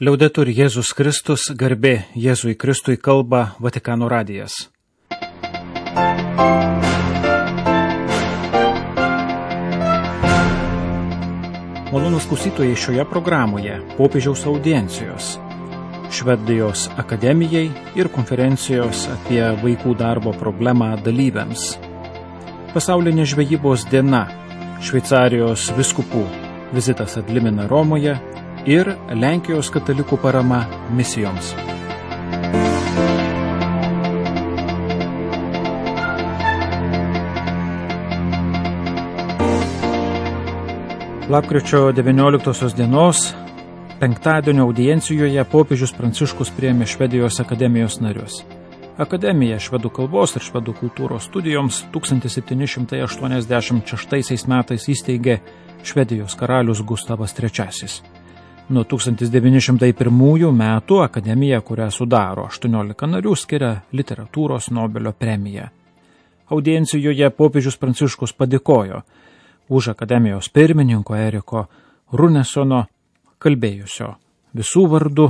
Liaudetur Jėzus Kristus, garbė Jėzui Kristui, kalba Vatikano radijas. Malonūs klausytojai, šioje programoje popiežiaus audiencijos, Švedijos akademijai ir konferencijos apie vaikų darbo problemą dalyviams. Pasaulinė žvejybos diena, Šveicarijos vyskupų vizitas ad limina Romoje ir Lenkijos katalikų parama misijoms. Lapkričio 19 dienos, penktadienio audiencijoje popiežius Pranciškus priėmė Švedijos akademijos narius. Akademija švedų kalbos ir švedų kultūros studijoms 1786 metais įsteigė Švedijos karalius Gustavas III. Nuo 1901 metų akademija, kurią sudaro 18 narių, skiria literatūros Nobelio premiją. Audiencijoje popiežius Pranciškus padėkojo už akademijos pirmininko Eriko Runesono kalbėjusio visų vardų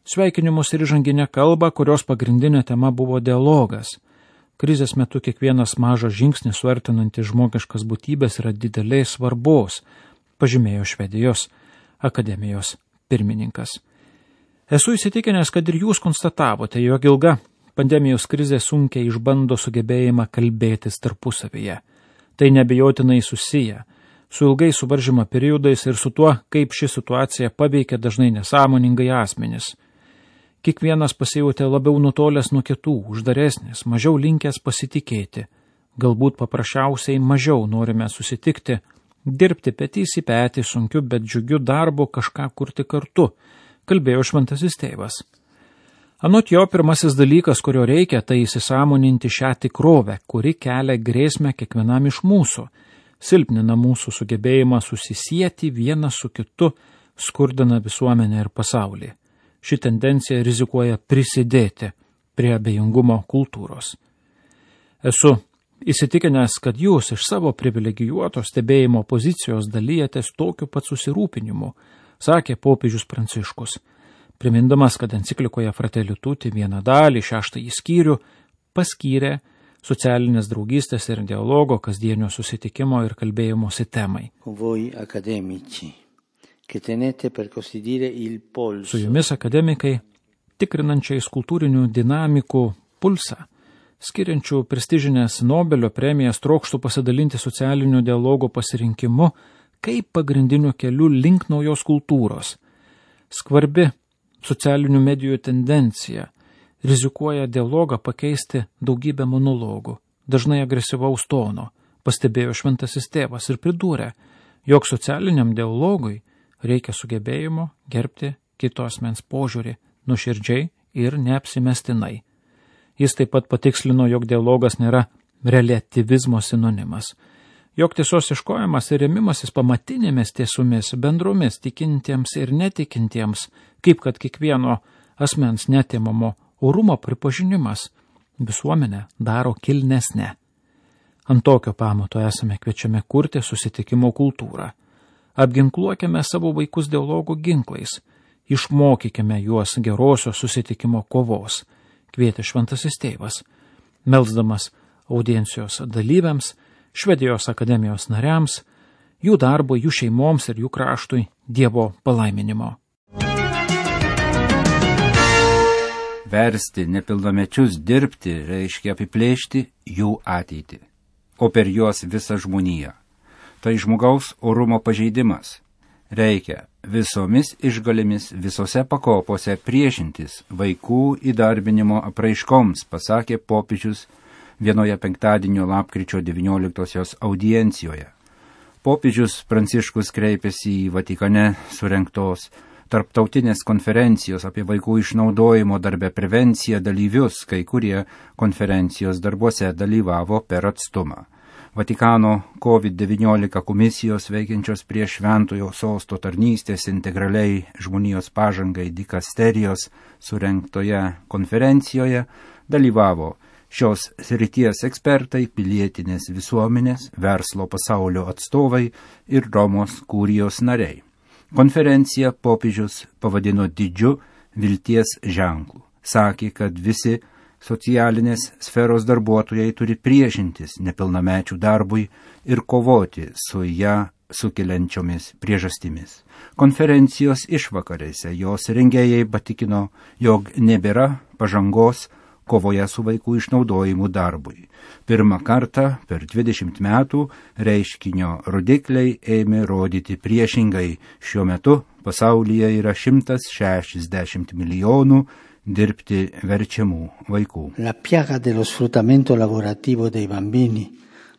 sveikinimus ir įžanginę kalbą, kurios pagrindinė tema buvo dialogas. Krizės metu kiekvienas mažas žingsnis suartinantis žmogiškas būtybės yra didelės svarbos, pažymėjo Švedijos akademijos pirmininkas. Esu įsitikinęs, kad ir jūs konstatavote, jog ilga pandemijos krizė sunkiai išbando sugebėjimą kalbėtis tarpusavyje. Tai neabejotinai susiję su ilgai suvaržymo periodais ir su tuo, kaip ši situacija paveikia dažnai nesąmoningai asmenis. Kiekvienas pasijautė labiau nutolęs nuo kitų, uždaresnis, mažiau linkęs pasitikėti. Galbūt paprasčiausiai mažiau norime susitikti, dirbti petys į petį sunkiu, bet džiugiu darbu kažką kurti kartu, kalbėjo šventasis tėvas. Anot jo, pirmasis dalykas, kurio reikia, tai įsisąmoninti šią tikrovę, kuri kelia grėsmę kiekvienam iš mūsų, silpnina mūsų sugebėjimą susisieti vienas su kitu, skurdina visuomenę ir pasaulį. Ši tendencija rizikuoja prisidėti prie abejingumo kultūros. Esu įsitikinęs, kad jūs iš savo privilegijuoto stebėjimo pozicijos dalyjatės tokiu pat susirūpinimu, sakė popiežius Pranciškus, primindamas, kad enciklikoje Fratelli Tutti vieną dalį, 6 skyrių, paskyrė socialinės draugystės ir dialogo, kasdienio susitikimo ir kalbėjimosi temai. Voi akademici, che tenete per così dire il polso. Su jumis akademikai, tikrinančiais kultūrinių dinamikų pulsą, skiriančių prestižinės Nobelio premijas, trokštų pasidalinti socialinio dialogo pasirinkimu kaip pagrindiniu keliu link naujos kultūros. Skvarbi socialinių medijų tendencija rizikuoja dialogą pakeisti daugybę monologų, dažnai agresyvaus tono, pastebėjo šventasis tėvas ir pridūrė, jog socialiniam dialogui reikia sugebėjimo gerbti kito asmens požiūrį nuoširdžiai ir neapsimestinai. Jis taip pat patikslino, jog dialogas nėra reliatyvizmo sinonimas, jog tiesos ieškojimas ir rėmimasis pamatinėmis tiesomis bendromis tikintiems ir netikintiems, kaip kad kiekvieno asmens netimamo orumo pripažinimas visuomenę daro kilnesnę. Ant tokio pamato esame kviečiami kurti susitikimo kultūrą. Apginkluokime savo vaikus dialogo ginklais, išmokykime juos gerosios susitikimo kovos, kvietė šventasis tėvas, melsdamas audiencijos dalyviams, Švedijos akademijos nariams, jų darbo, jų šeimoms ir jų kraštui Dievo palaiminimo. Versti nepilnamečius dirbti reiškia apiplėšti jų ateitį, o per juos visą žmoniją. Tai žmogaus orumo pažeidimas. Reikia visomis išgalėmis visose pakopose priešintis vaikų įdarbinimo apraiškoms, pasakė popiežius vienoje penktadienio lapkričio 19 audiencijoje. Popiežius Pranciškus kreipėsi į Vatikane surengtos tarptautinės konferencijos apie vaikų išnaudojimo darbe prevenciją dalyvius, kai kurie konferencijos darbuose dalyvavo per atstumą. Vatikano COVID-19 komisijos veikiančios prie Šventojo Sosto tarnystės integraliai žmonijos pažangai dikasterijos surengtoje konferencijoje dalyvavo šios srities ekspertai, pilietinės visuomenės, verslo pasaulio atstovai ir Romos kurijos nariai. Konferenciją popiežius pavadino didžiu vilties ženklu. Sakė, kad visi socialinės sferos darbuotojai turi priešintis nepilnamečių darbui ir kovoti su ją sukeliančiomis priežastimis. Konferencijos išvakarėse jos rengėjai patikino, jog nebėra pažangos kovoje su vaikų išnaudojimu darbui. Pirmą kartą per 20 metų reiškinio rodikliai ėmė rodyti priešingai. Šiuo metu pasaulyje yra 160 milijonų dirbti verčiamų vaikų. La piaga dello sfruttamento lavorativo dei bambini,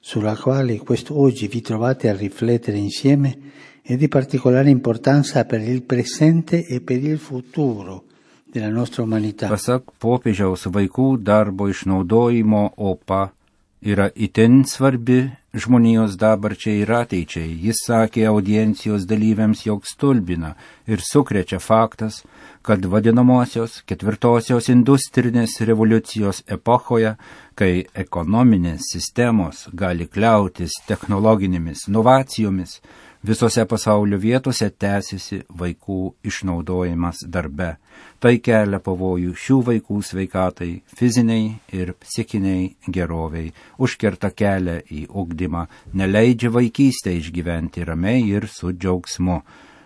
sulla quale oggi vi trovate a riflettere insieme, è di particolare importanza per il presente e per il futuro della nostra umanità. Pasak popiežiaus, vaikų darbo išnaudojimo opa yra itin svarbi žmonijos dabarčiai ir ateičiai. Jis sakė audiencijos dalyviams, jog stulbina ir sukrečia faktas, kad vadinamosios ketvirtosios industrinės revoliucijos epochoje, kai ekonominės sistemos gali kliautis technologinėmis inovacijomis, visose pasaulio vietose tęsiasi vaikų išnaudojimas darbe. Tai kelia pavojų šių vaikų sveikatai, fiziniai ir psichiniai geroviai, užkerta kelią į ugdymą, neleidžia vaikystę išgyventi ramiai ir su džiaugsmu.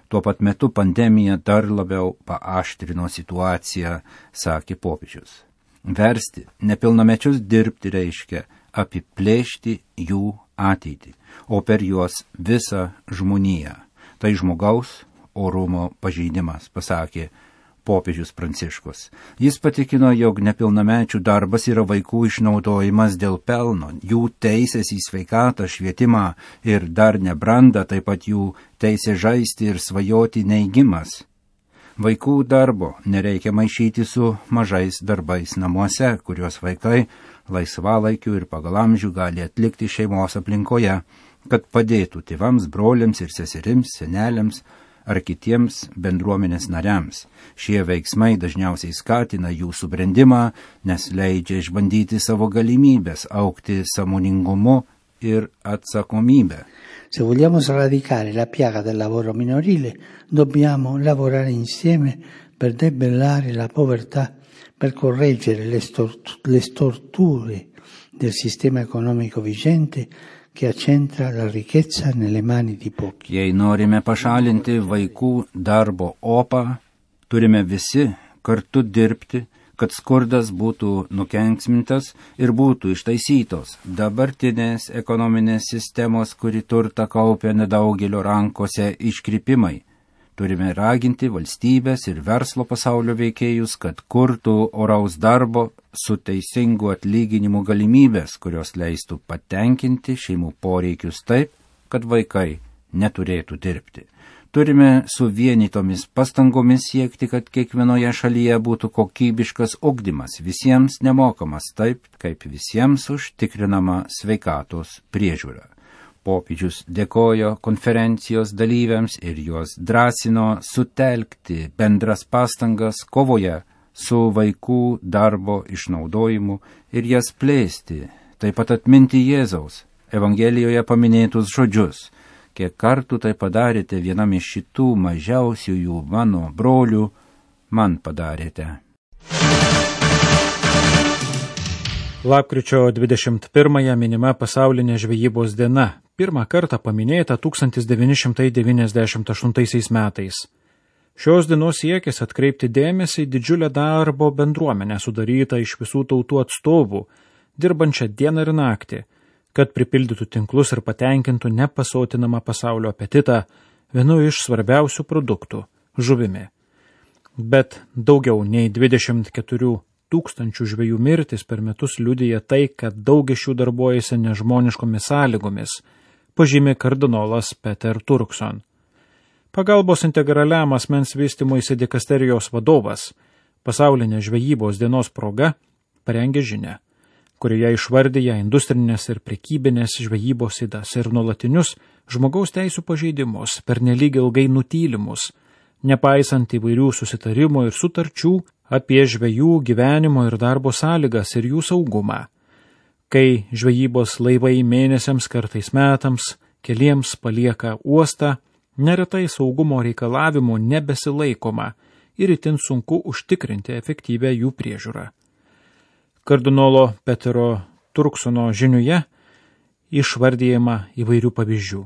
Tuo pat metu pandemija dar labiau paaštrino situaciją, sakė popiežius. Versti nepilnamečius dirbti reiškia apiplėšti jų ateitį, o per juos visą žmoniją. Tai žmogaus orumo pažeidimas, pasakė popiežius Pranciškus. Jis patikino, jog nepilnamečių darbas yra vaikų išnaudojimas dėl pelno, jų teisės į sveikatą, švietimą ir dar nebrandą, taip pat jų teisė žaisti ir svajoti neigimas. Vaikų darbo nereikia maišyti su mažais darbais namuose, kuriuos vaikai laisvalaikiu ir pagal amžių gali atlikti šeimos aplinkoje, kad padėtų tėvams, broliams ir seserims, seneliams ar kitiems bendruomenės nariams. Šie veiksmai dažniausiai skatina jų subrendimą, nes leidžia išbandyti savo galimybės, augti sąmoningumu ir atsakomybę. Se vogliamo sradicare la piaga del lavoro minorile, dobbiamo lavorare insieme per debellare la povertà, per correggere le storture del sistema economico vigente che accentra la ricchezza nelle mani di pochi. Jei norime pašalinti vaikų darbo opą, turime visi kartu dirbti, kad skurdas būtų nukenksmintas ir būtų ištaisytos dabartinės ekonominės sistemos, kuri turtą kaupia nedaugelio rankose, iškrypimai. Turime raginti valstybės ir verslo pasaulio veikėjus, kad kurtų oraus darbo su teisingu atlyginimu galimybės, kurios leistų patenkinti šeimų poreikius taip, kad vaikai neturėtų dirbti. Turime suvienytomis pastangomis siekti, kad kiekvienoje šalyje būtų kokybiškas ugdymas, visiems nemokamas taip, kaip visiems užtikrinama sveikatos priežiūra. Popiežius dėkojo konferencijos dalyviams ir juos drąsino sutelkti bendras pastangas kovoje su vaikų darbo išnaudojimu ir jas plėsti, taip pat atminti Jėzaus Evangelijoje paminėtus žodžius. Kiek kartų tai padarėte vienam iš šitų mažiausiųjų mano brolių, man padarėte. Lapkričio 21-ąją minima pasaulinė žvejybos diena, pirmą kartą paminėta 1998 metais. Šios dienos siekis atkreipti dėmesį į didžiulę darbo bendruomenę sudarytą iš visų tautų atstovų, dirbančią dieną ir naktį, kad pripildytų tinklus ir patenkintų nepasotinamą pasaulio apetitą vienu iš svarbiausių produktų – žuvimi. Bet daugiau nei 24 tūkstančių žvejų mirtis per metus liudija tai, kad daug iš jų darbuojasi nežmoniškomis sąlygomis, pažymi kardinolas Peter Turkson. Pagalbos integraliam asmens vystymuisi dikasterijos vadovas pasaulinės žvejybos dienos proga parengė žinią, kurioje išvardyja industrinės ir prekybinės žvejybos ydas ir nuolatinius žmogaus teisų pažeidimus, pernelyg ilgai nutylimus, nepaisant įvairių susitarimų ir sutarčių apie žvejų gyvenimo ir darbo sąlygas ir jų saugumą. Kai žvejybos laivai mėnesiams, kartais metams, keliems palieka uostą, Neretai saugumo reikalavimų nebesilaikoma ir itin sunku užtikrinti efektyvę jų priežiūrą. Kardinolo Petero Turksono žiniuje išvardyjama įvairių pavyzdžių.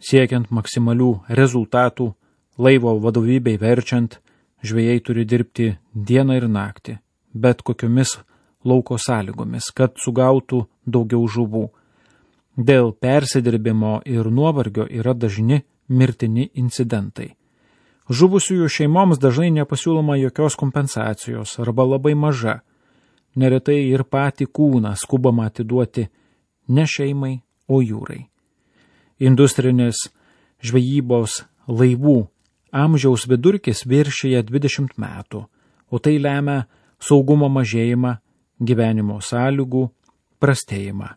Siekiant maksimalių rezultatų, laivo vadovybei verčiant, žvejai turi dirbti dieną ir naktį, bet kokiomis lauko sąlygomis, kad sugautų daugiau žuvų. Dėl persidirbimo ir nuovargio yra dažni mirtini incidentai. Žuvusiųjų šeimoms dažnai nepasiūloma jokios kompensacijos arba labai maža. Neretai ir patį kūną skubama atiduoti ne šeimai, o jūrai. Industrinės žvejybos laivų amžiaus vidurkis viršyje 20 metų, o tai lemia saugumo mažėjimą, gyvenimo sąlygų prastėjimą.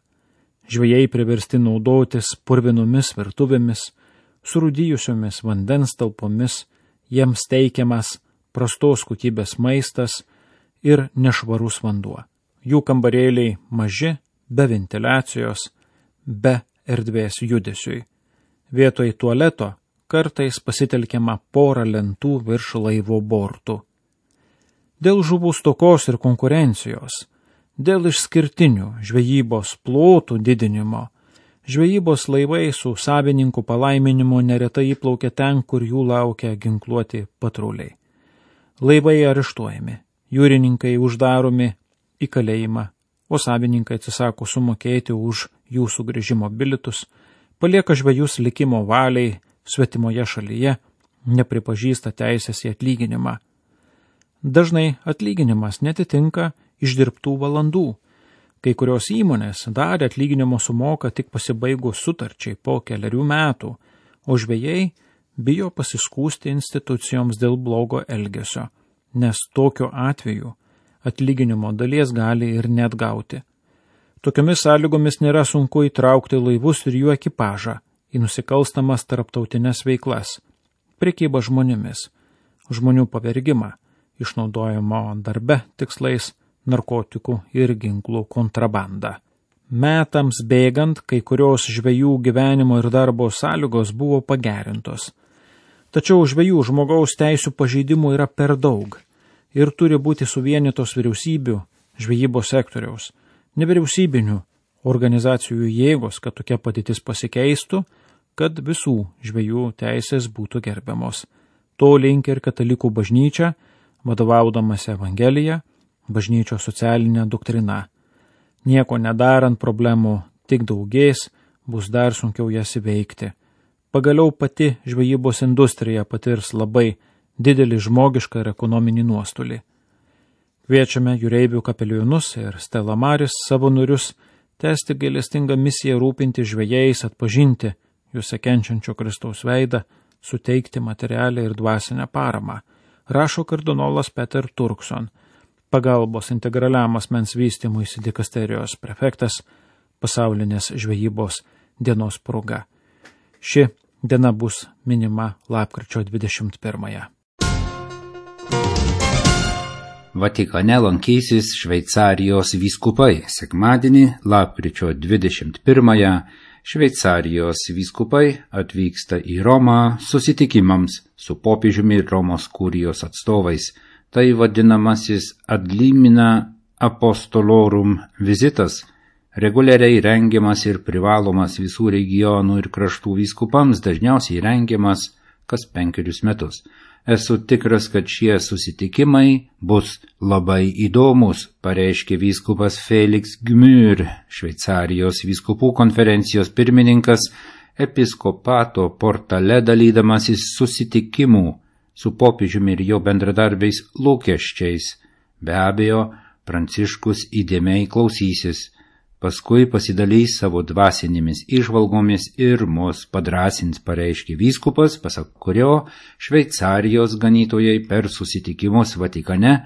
Žvejai priversti naudotis purvinomis virtuvėmis, surūdijusiomis vandens talpomis, jiems teikiamas prastos kokybės maistas ir nešvarus vanduo. Jų kambarėliai maži, be ventiliacijos, be erdvės judesiui. Vietoj tualeto kartais pasitelkiama pora lentų virš laivo bortų. Dėl žuvų stokos ir konkurencijos, dėl išskirtinių žvejybos plotų didinimo, žvejybos laivai su savininkų palaiminimu neretai įplaukia ten, kur jų laukia ginkluoti patruliai. Laivai areštuojami, jūrininkai uždaromi į kalėjimą, o savininkai atsisako sumokėti už jų sugrįžimo bilietus, palieka žvejus likimo valiai svetimoje šalyje, nepripažįsta teisės į atlyginimą. Dažnai atlyginimas netitinka išdirbtų valandų. Kai kurios įmonės dalį atlyginimo sumoka tik pasibaigus sutarčiai po 4 metų, o žvejai bijo pasiskųsti institucijoms dėl blogo elgesio, nes tokiu atveju atlyginimo dalies gali ir net gauti. Tokiomis sąlygomis nėra sunku įtraukti laivus ir jų ekipažą į nusikalstamas tarptautinės veiklas, prekybą žmonėmis, žmonių pavergimą, išnaudojimo darbe tikslais, narkotikų ir ginklų kontrabandą. Metams bėgant, kai kurios žvejų gyvenimo ir darbo sąlygos buvo pagerintos. Tačiau žvejų žmogaus teisių pažeidimų yra per daug ir turi būti suvienytos vyriausybių, žvejybos sektoriaus, nevyriausybinių organizacijų jėgos, kad tokia padėtis pasikeistų, kad visų žvejų teisės būtų gerbiamos. To linki ir katalikų bažnyčia, vadovaudamasi Evangelija, bažnyčios socialinė doktrina. Nieko nedarant problemų tik daugės, bus dar sunkiau jas įveikti. Pagaliau pati žvejybos industrija patirs labai didelį žmogišką ir ekonominį nuostolį. Kviečiame jūreivių kapelionus ir Stella Maris savanorius tęsti gailestingą misiją rūpinti žvejais, atpažinti juose kenčiančio Kristaus veidą, suteikti materialią ir dvasinę paramą, rašo kardinolas Peter Turkson, pagalbos integraliam asmens vystymuisi dikasterijos prefektas, pasaulinės žvejybos dienos proga. Ši diena bus minima lapkričio 21. Vatikane lankysis Šveicarijos vyskupai. Sekmadienį, lapkričio 21-ąją, Šveicarijos vyskupai atvyksta į Romą susitikimams su popiežiumi ir Romos kurijos atstovais. Tai vadinamasis ad limina apostolorum vizitas, reguliariai rengiamas ir privalomas visų regionų ir kraštų vyskupams, dažniausiai rengiamas kas 5 metus. Esu tikras, kad šie susitikimai bus labai įdomus, pareiškė vyskupas Felix Gmür, Šveicarijos vyskupų konferencijos pirmininkas, episkopato portale dalydamasis susitikimų su popiežiumi ir jo bendradarbiais lūkesčiais. Be abejo, Pranciškus įdėmiai klausysis, paskui pasidalys savo dvasinėmis įžvalgomis ir mus padrasins, pareiškė vyskupas, pasak kurio Šveicarijos ganytojai per susitikimus Vatikane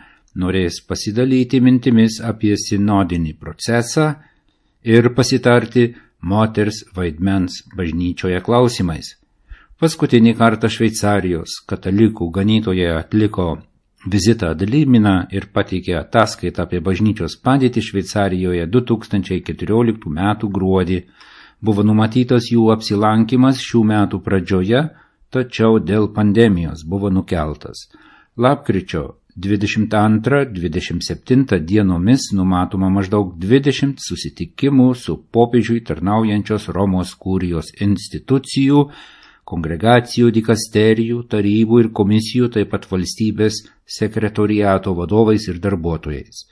norės pasidalyti mintimis apie sinodinį procesą ir pasitarti moters vaidmens bažnyčioje klausimais. Paskutinį kartą Šveicarijos katalikų ganytojai atliko vizitą ad limina ir pateikė ataskaitą apie bažnyčios padėtį Šveicarijoje 2014 m. gruodį. Buvo numatytas jų apsilankimas šių metų pradžioje, tačiau dėl pandemijos buvo nukeltas. Lapkričio 22-27 dienomis numatoma maždaug 20 susitikimų su popiežiui tarnaujančios Romos kurijos institucijų, kongregacijų, dikasterijų, tarybų ir komisijų, taip pat valstybės sekretoriato vadovais ir darbuotojais.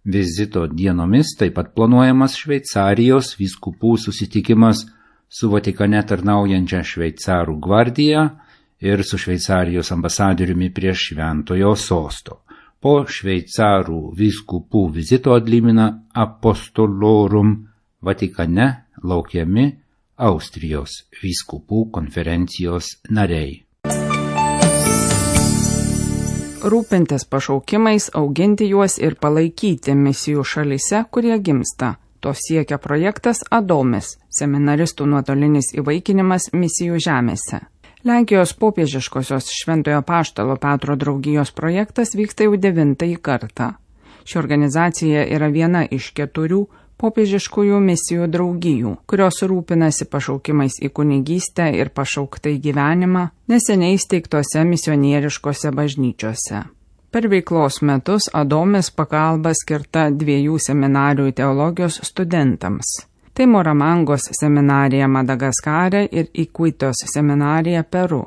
Vizito dienomis taip pat planuojamas Šveicarijos vyskupų susitikimas su Vatikane tarnaujančia Šveicarų gvardija ir su Šveicarijos ambasadoriumi prie Šventojo sosto. Po Šveicarų vyskupų vizito ad limina apostolorum Vatikane laukiami Austrijos vyskupų konferencijos nariai. Rūpintis pašaukimais, auginti juos ir palaikyti misijų šalyse, kurie gimsta. To siekia projektas Adomis, seminaristų nuotolinis įvaikinimas misijų žemėse. Lenkijos popiežiškosios Šventojo Apaštalo Petro draugijos projektas vyksta jau 9 kartą. Ši organizacija yra viena iš 4 popiežiškųjų misijų draugijų, kurios rūpinasi pašaukimais į kunigystę ir pašauktai gyvenimą neseniai įsteigtose misionieriškose bažnyčiose. Per veiklos metus Adomis pagalba skirta 2 seminarijų teologijos studentams. Tai Moramangos seminarija Madagaskare ir Ikuitos seminarija Peru.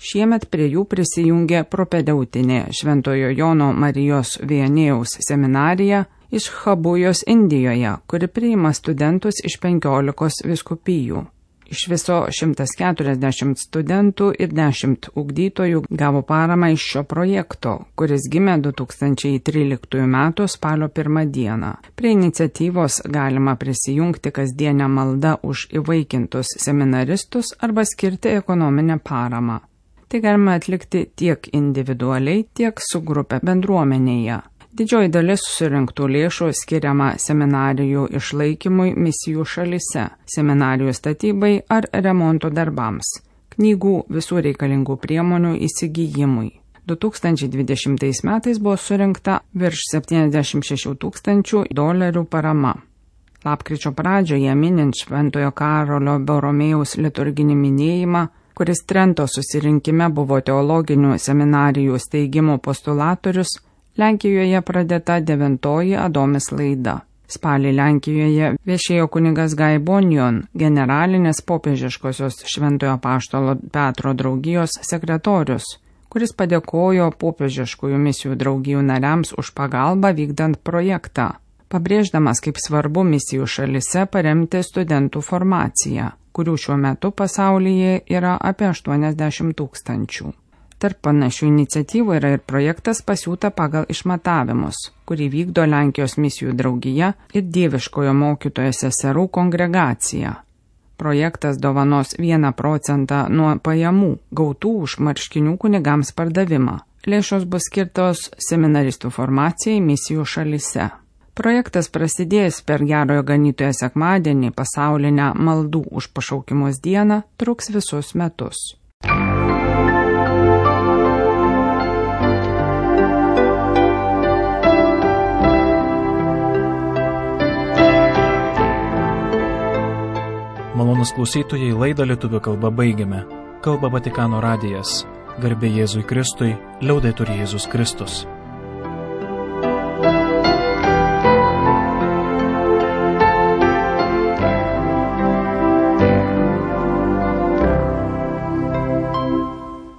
Šiemet prie jų prisijungė propedeutinė Šventojo Jono Marijos Viannėjaus seminarija iš Habujos Indijoje, kuri priima studentus iš 15 vyskupijų. Iš viso 140 studentų ir 10 ugdytojų gavo paramą iš šio projekto, kuris gimė 2013 m. spalio 1 dieną. Prie iniciatyvos galima prisijungti kasdienę maldą už įvaikintus seminaristus arba skirti ekonominę paramą. Tai galima atlikti tiek individualiai, tiek su grupė bendruomenėje. Didžioji dalis surinktų lėšų skiriama seminarijų išlaikymui misijų šalyse, seminarijų statybai ar remonto darbams, knygų visų reikalingų priemonių įsigijimui. 2020 metais buvo surinkta virš $76 000 parama. Lapkričio pradžioje minint Šventojo Karolio Boromėjaus liturginį minėjimą, kuris Trento susirinkime buvo teologinių seminarijų steigimo postulatorius, Lenkijoje pradėta 9 Adomis laida. Spalį Lenkijoje viešėjo kunigas Gai Bonion, generalinės popiežiškosios Šventojo Apaštalo Petro draugijos sekretorius, kuris padėkojo popiežiškųjų misijų draugijų nariams už pagalbą vykdant projektą, pabrėždamas, kaip svarbu misijų šalyse paremti studentų formaciją, kurių šiuo metu pasaulyje yra apie 80 000. Tarp panašių iniciatyvų yra ir projektas Pasiūta pagal išmatavimus, kurį vykdo Lenkijos misijų draugija ir Dieviškojo mokytojo seserų kongregacija. Projektas dovanos 1% nuo pajamų gautų už marškinių kunigams pardavimą. Lėšos bus skirtos seminaristų formacijai misijų šalyse. Projektas prasidėjęs per Gerojo Ganytojo sekmadienį pasaulinę maldų už pašaukimus dieną truks visus metus. Malonus klausytojai, laidą lietuvių kalba baigiame. Kalba Vatikano radijas. Garbė Jėzui Kristui, liaudetur Jėzus Kristus.